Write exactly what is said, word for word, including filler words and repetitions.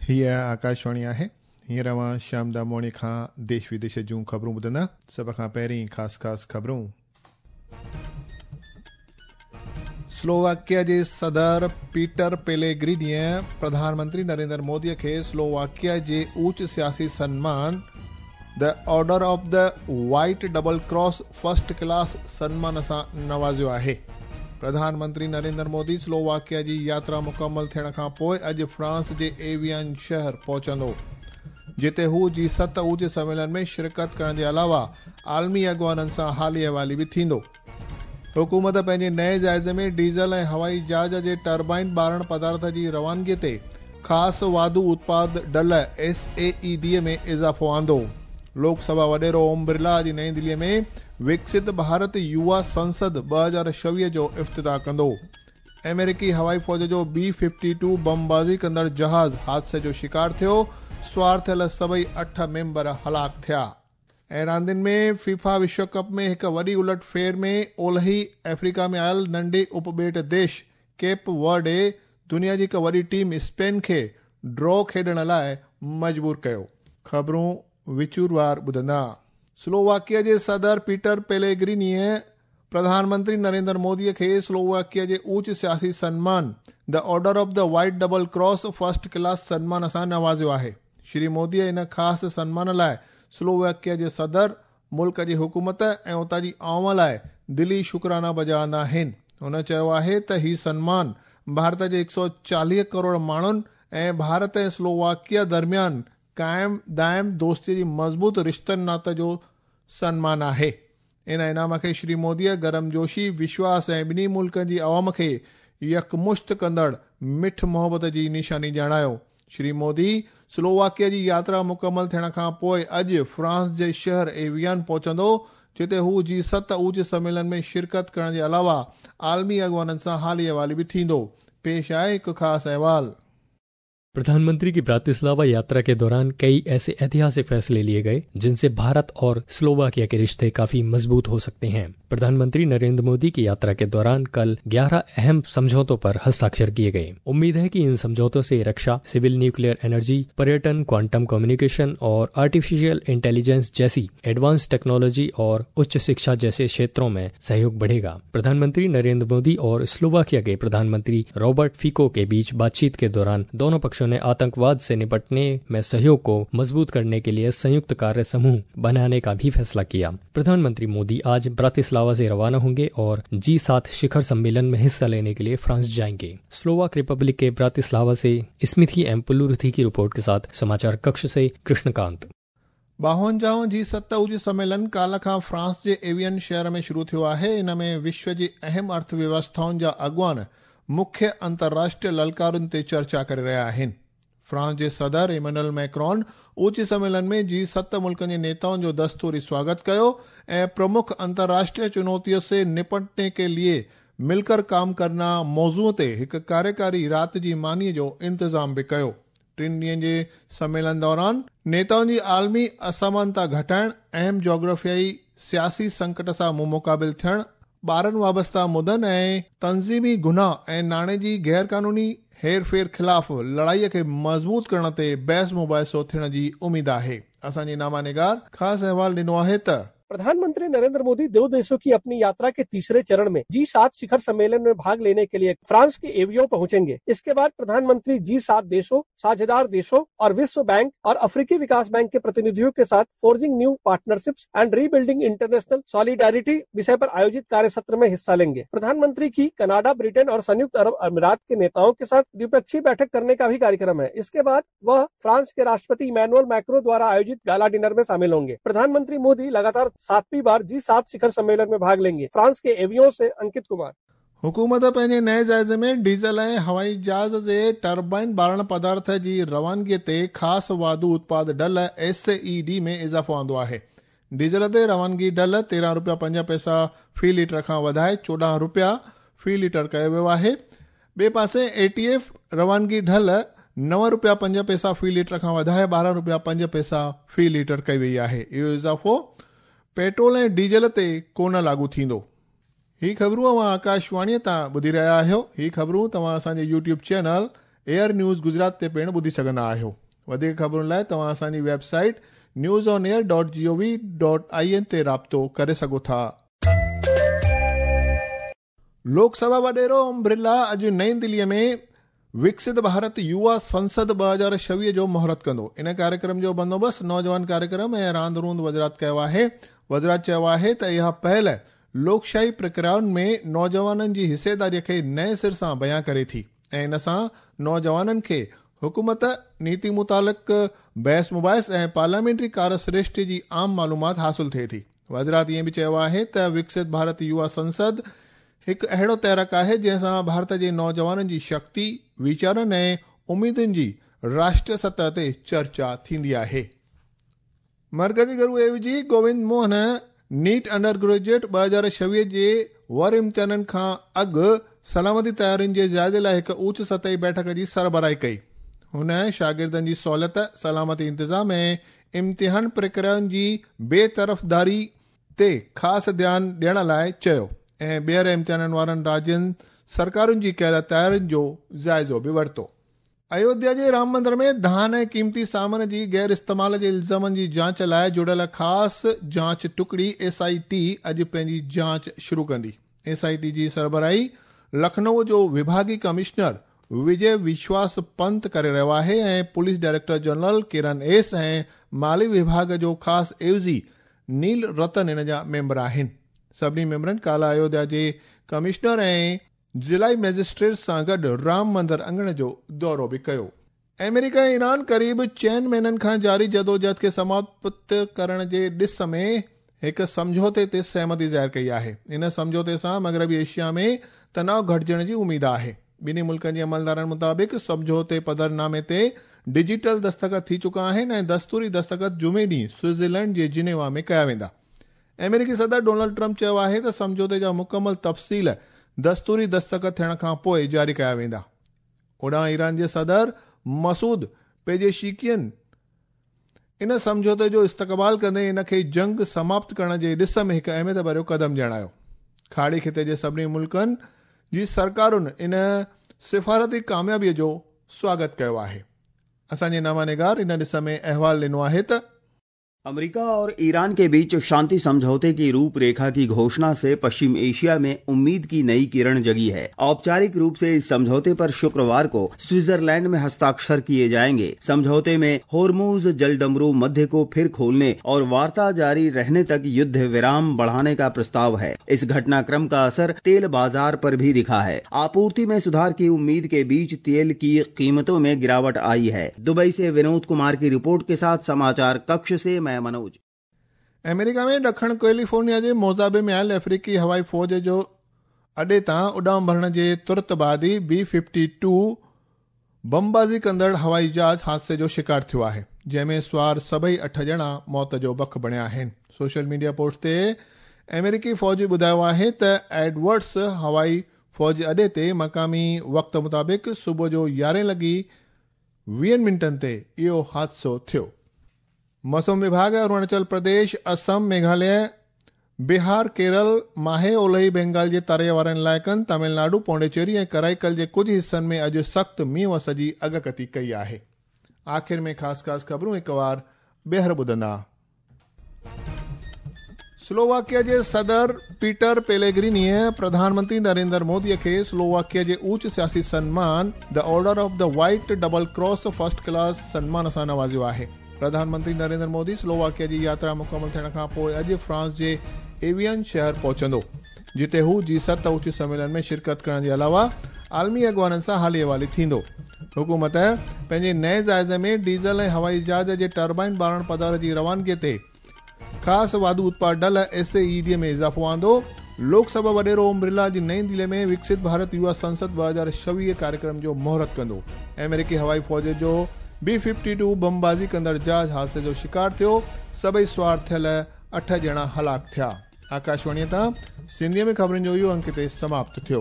हीअ आकाशवाणी आहे। हींअर अव्हां श्याम दामोणी खां देश विदेश जूं ख़बरूं ॿुधंदा। सभ खां पहिरीं ख़ासि ख़ासि ख़बरूं। स्लोवाकिया जे सदर पीटर पेलेग्रिनीअ प्रधानमंत्री नरेंद्र मोदीअ खे स्लोवाकिया जे ऊच सियासी सन्मान the Order of the White Double Cross first class सन्मान सां नवाज़ियो आहे। प्रधानमंत्री नरेंद्र मोदी स्लोवाकिया जी यात्रा मुकम्मल थियण खां पोइ अॼु फ्रांस जे एवियन शहर पहुचंदो, जिते हू जी सत ऊच सम्मेलन में शिरकत करण जे अलावा आलमी अॻवाननि सां हाली अहवाली बि थींदो। हुकूमत पंहिंजे नए जाइज़े में डीज़ल ऐं हवाई जहाज़ जे टर्बाइन ॿारण पदार्थ जी रवानगी ते ख़ासि वाधू उत्पाद ढल एस ए ई डी में इज़ाफ़ो आंदो। लोकसभा वॾेरो ओम बिरला अॼु नई दिल्लीअ में विकसित भारत युवा संसद ॿ हज़ार छवीह जो इफ़्तिताह कंदो। अमेरिकी हवाई फ़ौज जो बी फिफ्टी टू बमबाज़ी कंदड़ जहाज़ हादसे जो शिकार थियो, सवार थियल सभई अठ मेंबर हलाक थिया। ऐं रांदियुनि में फीफा विश्व कप में हिकु वॾी उलट फेर में ओलही अफ्रीका में आयल नंढे उपॿेट देश केप वर्डे दुनिया जी हिकु वॾी टीम स्पेन खे ड्रॉ खेॾण लाइ मजबूर कयो। ख़बरूं विचूरवार ॿुधंदा। स्लोवाकिया जे सदर पीटर पेलेग्रिनीअ प्रधानमंत्री नरेंद्र मोदीअ खे स्लोवाकिया जे ऊच सियासी सन्मान the Order of the White Double Cross first class सन्मान सां नवाज़ियो आहे। श्री मोदीअ इन ख़ासि सन्मान लाइ स्लोवाकिया जे सदर, मुल्क जी हुकूमत ऐं उतां जी आवाम लाइ दिली शुक्राना बजा आंदा आहिनि। हुन चयो आहे त हीउ सन्मान भारत जे हिकु सौ चालीह करोड़ माण्हुनि ऐं भारत ऐं स्लोवाकिया दरमियान क़ाइम दाइम दोस्ती जी मज़बूत रिश्तनि नात जो सन्मान आहे। इन इनाम खे श्री मोदीअ गर्मजोशी, विश्वास ऐं ॿिन्ही मुल्कनि जी आवाम खे यकमुश्त कंदड़ मिठ मोहबत जी निशानी ॼाणायो। श्री मोदी स्लोवाकिया जी यात्रा मुकम्मल थियण खां पोइ अॼु फ्रांस जे शहर एवियन पहुचंदो, जिते हू जी सत ऊच सम्मेलन में शिरकत करण जे अलावा आलमी अॻवाननि सां हाली अहवाली बि थींदो। पेश आहे हिकु ख़ासि अहवाल। प्रधानमंत्री की ब्रातिस्लावा यात्रा के दौरान कई ऐसे ऐतिहासिक फैसले लिए गए जिनसे भारत और स्लोवाकिया के रिश्ते काफी मजबूत हो सकते हैं। प्रधानमंत्री नरेंद्र मोदी की यात्रा के दौरान कल ग्यारह अहम समझौतों पर हस्ताक्षर किए गए। उम्मीद है कि इन समझौतों से रक्षा, सिविल न्यूक्लियर एनर्जी, पर्यटन, क्वांटम कम्युनिकेशन और आर्टिफिशियल इंटेलिजेंस जैसी एडवांस टेक्नोलॉजी और उच्च शिक्षा जैसे क्षेत्रों में सहयोग बढ़ेगा। प्रधानमंत्री नरेंद्र मोदी और स्लोवाकिया के प्रधानमंत्री रॉबर्ट फिको के बीच बातचीत के दौरान दोनों पक्षों ने आतंकवाद से निपटने में सहयोग को मजबूत करने के लिए संयुक्त कार्य समूह बनाने का भी फैसला किया। प्रधानमंत्री मोदी आज ब्रातिस्लावा से रवाना होंगे और जी सात शिखर सम्मेलन में हिस्सा लेने के लिए फ्रांस जाएंगे। स्लोवाक रिपब्लिक के ब्रातिस्लावा से स्मिथी एम पुलुरुथी की रिपोर्ट के साथ समाचार कक्ष से कृष्णकांत। बावंजाहों जी सत ऊच सम्मेलन काल्ह खां फ्रांस जे एवियन शहर में शुरू थियो आहे। इन में विश्व जी अहम अर्थव्यवस्थाउनि जा अॻवान मुख्य अंतर्राष्ट्रीय ललकारुनि ते चर्चा करे रहिया आहिनि। फ्रांस जे सदर इमैनुअल मैक्रॉन ऊच सम्मेलन में जी सत मुल्कनि जे नेताउनि जो दस्तूरी स्वागत कयो ऐं प्रमुख अंतर्राष्ट्रीय चुनौतियों से निपटने के लिए मिलकर काम करना मौज़ू ते हिकु कार्यकारी राति जी मानी जो इंतज़ाम बि कयो। टिनि ॾींहनि जे सम्मेलन दौरान नेताउनि जी आलमी असमानता घटाइण, अहम जोग्राफियाई सियासी संकट सां मुंहुं मुक़ाबिल थियण, ॿारनि वाबस्ता मुदनि ऐं तंज़ीमी गुनाह ऐं नाणे जी गैर कानूनी हेर फेर ख़िलाफ़ लड़ाईअ खे मज़बूत करण ते बहस मुबाहिसो थियण जी उम्मीद आहे। असांजी नामा निगार ख़ासि अहवाल ॾिनो आहे त प्रधानमंत्री नरेंद्र मोदी दो देशों की अपनी यात्रा के तीसरे चरण में जी सात शिखर सम्मेलन में भाग लेने के लिए फ्रांस के एवियो पहुंचेंगे। इसके बाद प्रधानमंत्री जी सात देशों, साझेदार देशों और विश्व बैंक और अफ्रीकी विकास बैंक के प्रतिनिधियों के साथ forging new partnerships and rebuilding international solidarity विषय पर आयोजित कार्य सत्र में हिस्सा लेंगे। प्रधानमंत्री की कनाडा, ब्रिटेन और संयुक्त अरब अमीरात के नेताओं के साथ द्विपक्षीय बैठक करने का भी कार्यक्रम है। इसके बाद वह फ्रांस के राष्ट्रपति इमैनुअल मैक्रो द्वारा आयोजित गाला डिनर में शामिल होंगे। प्रधानमंत्री मोदी लगातार सातवीं बार जी सात शिखर सम्मेलन में भाग लेंगे। फ्रांस के एवियो से अंकित कुमार। हुकूमत पंहिंजे नए जाइज़े में डीज़ल ऐं हवाई जहाज़ जे टर्बाइन ॿारण पदार्थ जी रवानगीअ ते ख़ासि वाधू उत्पाद ढल एस ई डी में इज़ाफ़ो आंदो आहे। डीज़ल ते रवानगी ढल तेरहं रुपया पंज पैसा फ़ी लीटर खां वधाए चोॾहं रुपया फ़ी लीटर कयो वियो आहे। ॿिए पासे ए टी एफ रवानगी ढल नव रुपया पंज पैसा फ़ी लीटर खां वधाए ॿारहं रुपया पंज पैसा फ़ी लीटर कई वई आहे। इहो इज़ाफ़ो पेट्रोल ऐं डीज़ल ते कोन लागू थींदो। ही ख़बरूं अव्हां आकाशवाणीअ तां ॿुधी रहिया आहियो। ही ख़बरूं तव्हां असांजे YouTube channel air news Gujarat ते पिणु ॿुधी सघंदा आहियो। वधीक ख़बरुनि लाइ तव्हां असांजी website news on air dot G O V dot I N ते राब्तो करे सघो था। लोकसभा वॾेरो ओम बिरला अॼु नई दिल्लीअ में विकसित भारत युवा संसद ॿ हज़ार छवीह जो मुहूर्त कंदो। इन कार्यक्रम जो बंदोबस्तु नौजवान कार्यक्रम ऐं रांदि रूंद वज़ारत कयो आहे। वज़ारत चयो आहे त इहा पहल लोकशाही प्रक्रियाउनि में नौजवाननि जी हिसेदारीअ खे नए सिर सां बयां करे थी ऐं इन सां नौजवाननि खे हुकूमत, नीति मुतालिक़ बहस मुबाहिस ऐं पार्लियामेंट्री कार्यसृष्टि जी आम मालूमात हासिल थिए थी। वज़ारत ईअं बि चयो आहे त विकसित भारत युवा संसद हिकु अहिड़ो तहरीक आहे जंहिंसां भारत जे नौजवाननि जी शक्ति, वीचारनि ऐं उमेदुनि जी राष्ट्रीय सतह ते चर्चा थींदी आहे। मरकज़ी घरू एवजी Govind Mohan NEET under graduate ॿ हज़ार छवीह जे वर इम्तिहाननि खां अॻु सलामती तयारियुनि जे जाइज़े लाइ हिकु ऊच सतही बैठक जी सरबराही कई। हुन शागिर्दनि जी सहूलियत, सलामती इंतज़ाम ऐं इम्तिहान प्रक्रियाउनि जी बेतरफ़दारी ते ख़ासि ध्यानु ॾियण लाइ चयो ऐं ॿीहर इम्तिहाननि वारनि राज्यनि सरकारुनि जी कयल तयारियुनि जो जाइज़ो बि वरितो। अयोध्या जे राम मंदिर में धान ऐं क़ीमती सामान जी गैर इस्तेमाल जे इल्ज़ामनि जी जांच लाइ जुड़ियल ख़ासि जांच टुकड़ी एस I T अॼु पंहिंजी जांच शुरू कंदी। एस I T जी सरबराही लखनऊ जो विभागी कमिश्नर विजय विश्वास पंत करे रहियो आहे ऐं police director general Kiran S ऐं माली विभाग जो ख़ासि एवज़ी नील रतन इन जा मेंबर आहिनि। सभिनी मेंबरनि काल्ह अयोध्या जे कमिश्नर ऐं ज़िलाई मैजिस्ट्रेट सां गॾु राम मंदिर अंगण जो दौरो बि कयो। अमेरिका ऐं ईरान क़रीब चइनि महीननि खां जारी जदोजहद खे समाप्त करण जे ॾिस में हिकु सम्झौते ते सहमति ज़ाहिर कई आहे। इन सम्झौते सां मग़रबी एशिया में तनाव घटिजण जी उमेद आहे। ॿिन्ही मुल्कनि जे अमलदारनि मुताबिक़ सम्झौते पधरनामे ते डिजिटल दस्तख़त थी चुका आहिनि ऐं दस्तूरी दस्तख़त जुमे ॾींहुं स्विट्ज़रलैंड जे जिनेवा में कया वेंदा। अमेरिकी सदर डोनाल्ड ट्रंप चयो आहे त सम्झौते जा मुकमल तफ़सील दस्तूरी दस्तख़त थियण खां पोइ जारी कया वेंदा। होॾां ईरान जे सदर मसूद पेजेशिकियन इन सम्झौते जो इस्तक़बाल कंदे इन खे जंग समाप्त करण जे ॾिस में हिकु अहमियत भरियो क़दम ॼाणायो। खाड़ी ख़िते जे सभिनी मुल्कनि जी सरकारुनि इन सिफारती कामयाबीअ जो स्वागत कयो आहे। असांजे नामानिगार इन ॾिस में अहवाल ॾिनो आहे त अमेरिका और ईरान के बीच शांति समझौते की रूपरेखा की घोषणा से पश्चिम एशिया में उम्मीद की नई किरण जगी है। औपचारिक रूप से इस समझौते पर शुक्रवार को स्विट्जरलैंड में हस्ताक्षर किए जाएंगे। समझौते में होर्मुज जलडमरू मध्य को फिर खोलने और वार्ता जारी रहने तक युद्ध विराम बढ़ाने का प्रस्ताव है। इस घटनाक्रम का असर तेल बाजार पर भी दिखा है। आपूर्ति में सुधार की उम्मीद के बीच तेल की कीमतों में गिरावट आई है। दुबई से विनोद कुमार की रिपोर्ट के साथ समाचार कक्ष से मैं मनोज। अमेरिका में ॾखण कैलिफोर्निया जे मोज़ाबे में आयल अफ्रीकी हवाई फ़ौज जो अॾे तां उॾाम भरण जे तुरत बाद ई बी फिफ्टी टू बमबाज़ी कंदड़ हवाई जहाज़ हादसे जो शिकार थियो आहे, जंहिंमें सवार सभई अठ ॼणा मौत जो बख बणिया आहिनि। सोशल मीडिया पोस्ट ते अमेरिकी फ़ौज ॿुधायो आहे त एडवर्ड्स हवाई फ़ौज अॾे ते मक़ामी वक़्त मुताबिक़ सुबुह जो यारहें लॻी वीहनि मिंटनि ते इहो हादसो थियो। मौसम विभाग अरुणाचल प्रदेश, असम, मेघालय, बिहार, केरल, माहे ओलही बंगाल जे तरे वारनि इलाइक़नि, तमिलनाडु, पौंडीचेरी ऐं कराईकल जे कुझु हिसनि में अॼु सख़्तु मींहुं वस जी अगकथी कई आहे। आख़िर में ख़ासि ख़ासि ख़बरूं हिकु वार ॿीहर ॿुधंदा। स्लोवाकिया जे सदर पीटर पेलेग्रिनीअ प्रधानमंत्री नरेंद्र मोदीअ खे स्लोवाकिया जे ऊच सियासी सन्मान the order of the white double cross first class सन्मान सां नवाज़ियो आहे। प्रधानमंत्री नरेंद्र मोदी स्लोवाकिया जी यात्रा मुकमल थियण खां पोइ अॼु फ्रांस जे एवियन शहर पहुचंदो, जिते हू जी सत उच्च सम्मेलन में शिरकत करण जे अलावा आलमी अॻवाननि सां हाली हवाली थींदो। हुकूमत पंहिंजे नए जाइज़े में डीज़ल ऐं हवाई जहाज़ जे टर्बाइन ॿारण पदार्थ जी रवानगीअ ते ख़ासि वाधू उत्पाद ढल एस ए ई डी में इज़ाफ़ो आंदो। लोकसभा वॾेरो ओम बिरला जी नई दिल्ली में विकसित भारत युवा संसद ॿ हज़ार छवीह कार्यक्रम जो मुहूर्त कंदो। अमेरिकी हवाई फ़ौज जो बी फिफ्टी टू बमबाज़ी कंदड़ जहाज़ हादसे जो शिकार थियो, सभई सवार थियल अठ ॼणा हलाक थिया। आकाशवाणीअ तां सिंधीअ में ख़बरुनि जो इहो अंक हिते समाप्त थियो।